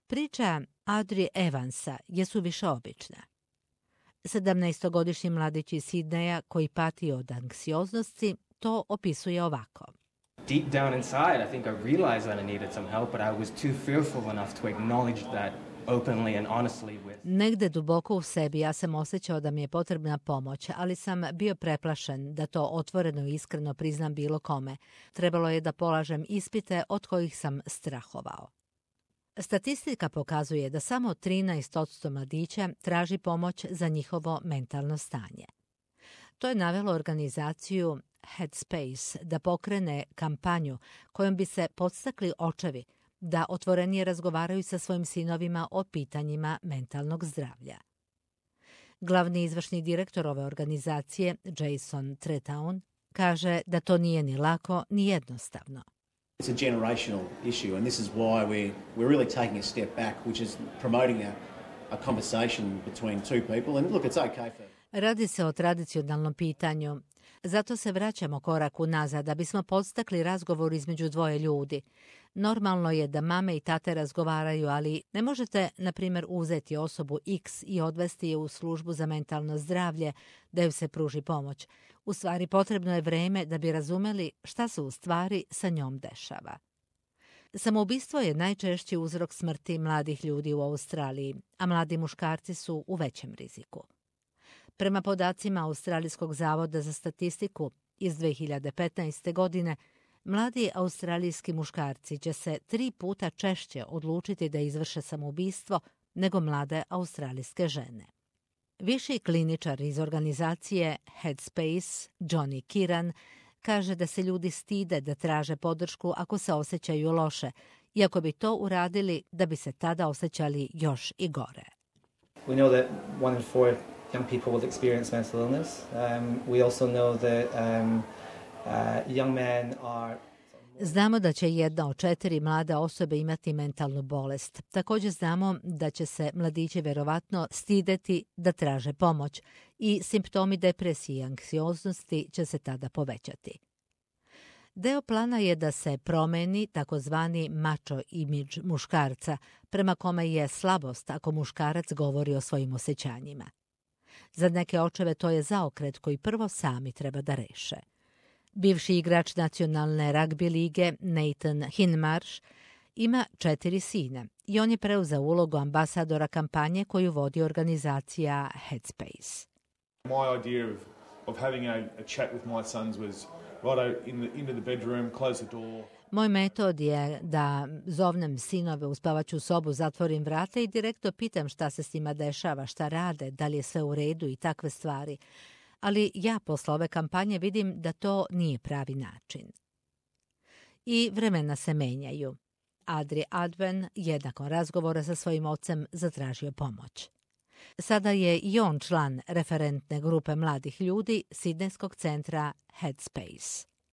Priča Adri Evansa je suviše obična. 17-godišnji mladić iz Sidneja koji pati od anksioznosti to opisuje ovako. Deep down inside, I think I realized that I needed some help, but I was too fearful enough to acknowledge that openly and honestly with. Negde duboko u sebi ja sam osjećao da mi je potrebna pomoć, ali sam bio preplašen da to otvoreno i iskreno priznam bilo kome. Trebalo je da polažem ispite od kojih sam strahovao. Statistika pokazuje da samo 13% mladića traži pomoć za njihovo mentalno stanje. To je navelo organizaciju Headspace da pokrene kampanju kojom bi se podstakli očevi da otvorenije razgovaraju sa svojim sinovima o pitanjima mentalnog zdravlja. Glavni izvršni direktor ove organizacije, Jason Tretown, kaže da to nije ni lako ni jednostavno. It's a generational issue, and this is why we're really taking a step back, which is promoting a conversation between two people. And look, it's okay for... Radi se o tradicionalnom pitanju. Zato se vraćamo korak unazad da bismo podstakli razgovor između dvoje ljudi. Normalno je da mame i tate razgovaraju, ali ne možete, na primjer, uzeti osobu X i odvesti je u službu za mentalno zdravlje da joj se pruži pomoć. U stvari, potrebno je vreme da bi razumeli šta se u stvari sa njom dešava. Samoubistvo je najčešći uzrok smrti mladih ljudi u Australiji, a mladi muškarci su u većem riziku. Prema podacima Australijskog zavoda za statistiku iz 2015. godine, mladi australijski muškarci će se 3 puta češće odlučiti da izvrše samoubistvo nego mlade australijske žene. Viši kliničar iz organizacije Headspace, Johnny Kiran, kaže da se ljudi stide da traže podršku ako se osjećaju loše, iako bi to uradili da bi se tada osjećali još i gore. We know that 1 in 4 young people will experience mental illness. We also know that young men are... Znamo da će 1 od 4 mlade osobe imati mentalnu bolest. Također znamo da će se mladići verovatno stideti da traže pomoć i simptomi depresije i anksioznosti će se tada povećati. Deo plana je da se promeni takozvani macho imidž muškarca, prema kome je slabost ako muškarac govori o svojim osjećanjima. Za neke očeve to je zaokret koji prvo sami treba da reše. Bivši igrač nacionalne ragbi lige Nathan Hinmarsh ima 4 sina i on je preuzeo ulogu ambasadora kampanje koju vodi organizacija Headspace. My idea of having a chat with my sons was right into the bedroom, close the door. Moj metod je da zovnem sinove u spavaću sobu, zatvorim vrata i direktno pitam šta se s njima dešava, šta rade, da li je sve u redu i takve stvari. Ali ja posle ove kampanje vidim da to nije pravi način. I vremena se menjaju. Adri Adven je nakon razgovora sa svojim ocem zatražio pomoć. Sada je i on član referentne grupe mladih ljudi Sidnejskog centra Headspace.